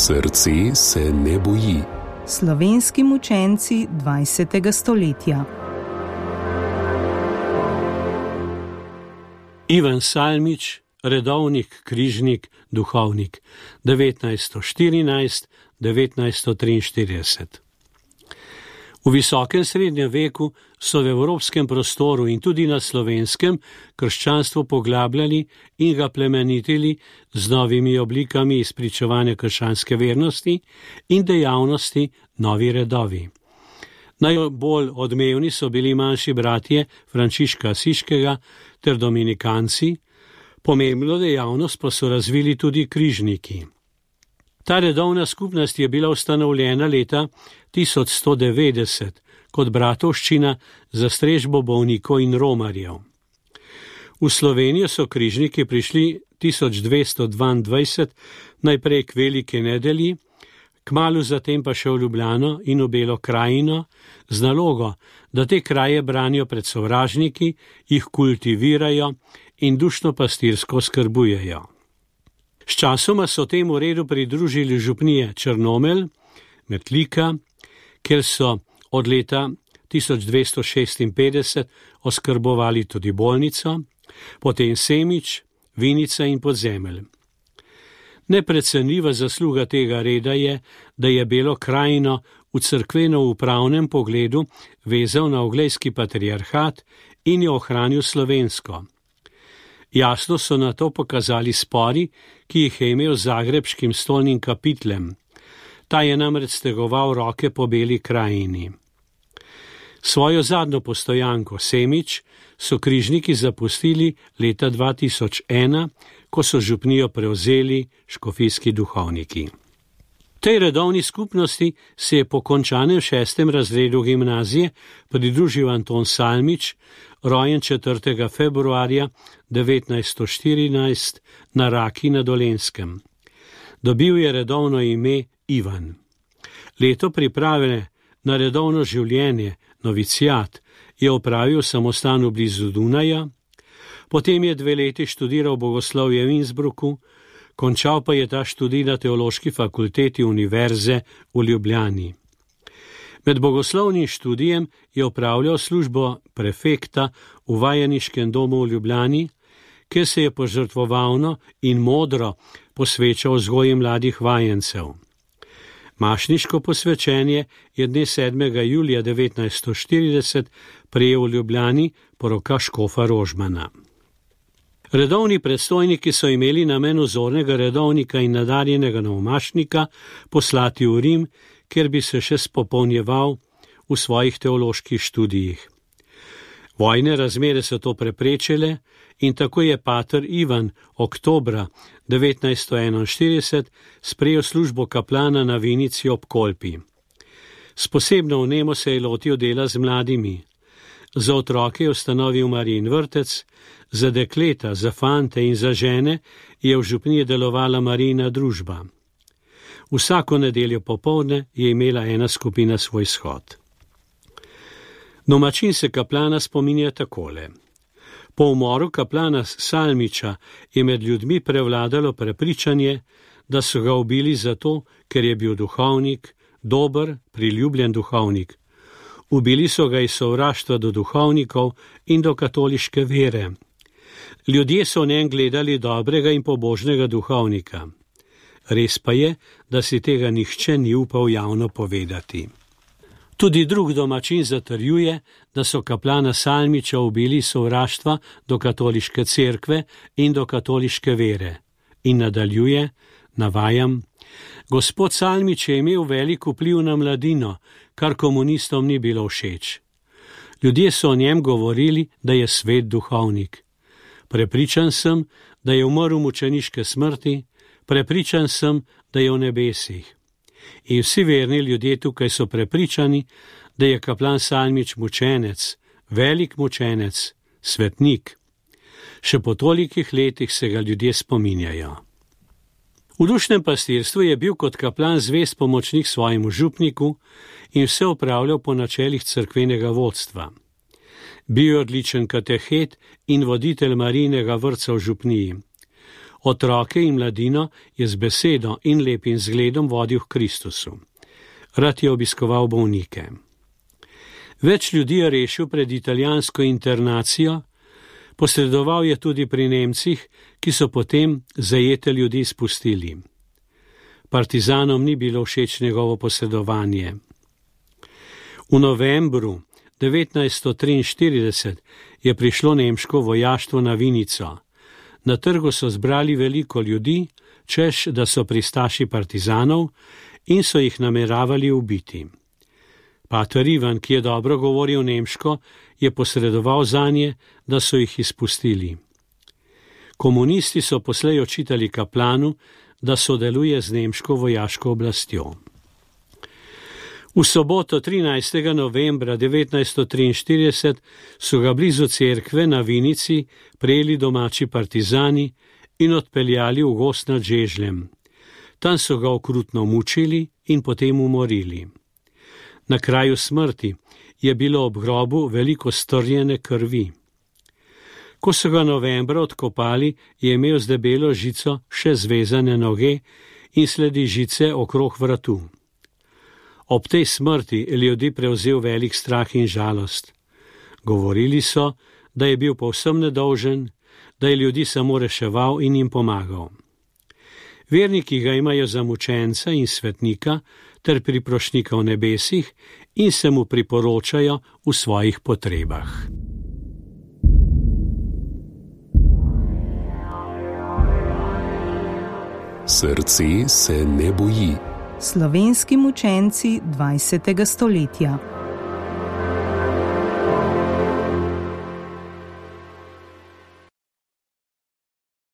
Srce se ne boji. Slovenski mučenci 20. stoletja. Ivan Salmič, redovnik, križnik, duhovnik, 1914–1943. V visokem srednjem veku so v evropskem prostoru in tudi na slovenskem krščanstvo poglabljali in ga plemenitili z novimi oblikami izpričevanja krščanske vernosti in dejavnosti novi redovi. Najbolj odmevni so bili manjši bratje Frančiška Asiškega ter dominikanci, pomembno dejavnost pa so razvili tudi križniki. Ta redovna skupnost je bila ustanovljena leta 1190 kot bratovščina za strežbo bolnikov in romarjev. V Slovenijo so križniki prišli 1222, najprej k Veliki nedelji, kmalu zatem pa še v Ljubljano in v Belo krajino, z nalogo, da te kraje branijo pred sovražniki, jih kultivirajo in dušno pastirsko skrbujejo. Sčasoma so temu redu pridružili župnije Črnomelj, Metlika, kjer so od leta 1256 oskrbovali tudi bolnico, potem Semič, Vinica in Podzemelj. Neprecenljiva zasluga tega reda je, da je Belo krajino v cerkveno-upravnem pogledu vezal na oglejski patriarhat in jo ohranil slovensko. Jasno so na to pokazali spori, ki jih je imel z zagrebškim stolnim kapitlem. Ta je namreč stegoval roke po Beli krajini. Svojo zadnjo postojanko Semič so križniki zapustili leta 2001, ko so župnijo prevzeli škofijski duhovniki. Tej redovni skupnosti se je po končanem 6. razredu gimnazije pridružil Anton Salmič, rojen 4. februarja 1914 na Raki na Dolenjskem. Dobil je redovno ime Ivan. Leto priprave na redovno življenje, noviciat, je opravil v samostanu blizu Dunaja, potem je 2 leti študiral bogoslovje v Innsbrucku, končal pa je ta študij na Teološki fakulteti Univerze v Ljubljani. Med bogoslovnim študijem je opravljal službo prefekta v vajeniškem domu v Ljubljani, kjer se je požrtvovalno in modro posvečal vzgoji mladih vajencev. Mašniško posvečenje je dne 7. julija 1940 prejel v Ljubljani po rokah škofa Rožmana. Redovni predstojniki so imeli namen vzornega redovnika in nadarjenega novomašnika poslati v Rim, kjer bi se še spopolnjeval v svojih teoloških študijih. Vojne razmere so to preprečile in tako je pater Ivan oktobra 1941 sprejel službo kaplana na Vinici ob Kolpi. S posebno vnemo se je lotil dela z mladimi. Za otroke je ustanovil Marijin vrtec, za dekleta, za fante in za žene je v župniji delovala Marijina družba. Vsako nedeljo popoldne je imela ena skupina svoj shod. Domačin se kaplana spominja takole. Po umoru kaplana Salmiča je med ljudmi prevladalo prepričanje, da so ga ubili zato, ker je bil duhovnik, dober, priljubljen duhovnik. Ubili so ga iz sovraštva do duhovnikov in do katoliške vere. Ljudje so v njem gledali dobrega in pobožnega duhovnika. Res pa je, da si tega nihče ni upal javno povedati. Tudi drug domačin zatrjuje, da so kaplana Salmiča ubili iz sovraštva do katoliške cerkve in do katoliške vere. In nadaljuje, navajam, gospod Salmič je imel velik vpliv na mladino, kar komunistom ni bilo všeč. Ljudje so o njem govorili, da je svet duhovnik. Prepričan sem, da je umrl mučeniške smrti, prepričan sem, da je v nebesih. In vsi verni ljudje tukaj so prepričani, da je kaplan Salmič mučenec, velik mučenec, svetnik. Še po tolikih letih se ga ljudje spominjajo. V dušnem pastirstvu je bil kot kaplan zvest pomočnik svojemu župniku in vse opravljal po načelih cerkvenega vodstva. Bil je odličen katehet in voditelj Marijinega vrtca v župniji. Otroke in mladino je z besedo in lepim zgledom vodil k Kristusu. Rad je obiskoval bolnike. Več ljudi je rešil pred italijansko internacijo, posredoval je tudi pri Nemcih, ki so potem zajete ljudi spustili. Partizanom ni bilo všeč njegovo posredovanje. V novembru 1943 je prišlo nemško vojaštvo na Vinico. Na trgu so zbrali veliko ljudi, češ da so pristaši partizanov in so jih nameravali ubiti. Pater Ivan, ki je dobro govoril nemško, je posredoval zanje, da so jih izpustili. Komunisti so poslej očitali kaplanu, da sodeluje z nemško vojaško oblastjo. V soboto 13. novembra 1943 so ga blizu cerkve na Vinici prejeli domači partizani in odpeljali v gozd nad Žežljem. Tam so ga okrutno mučili in potem umorili. Na kraju smrti je bilo ob grobu veliko strjene krvi. Ko so ga novembra odkopali, je imel z debelo žico še zvezane noge in sledi žice okrog vratu. Ob tej smrti je ljudi prevzel velik strah in žalost. Govorili so, da je bil povsem nedolžen, da je ljudi samo reševal in jim pomagal. Verniki ga imajo za mučenca in svetnika ter priprošnika v nebesih in se mu priporočajo v svojih potrebah. Srce se ne boji. Slovenski mučenci 20. stoletja.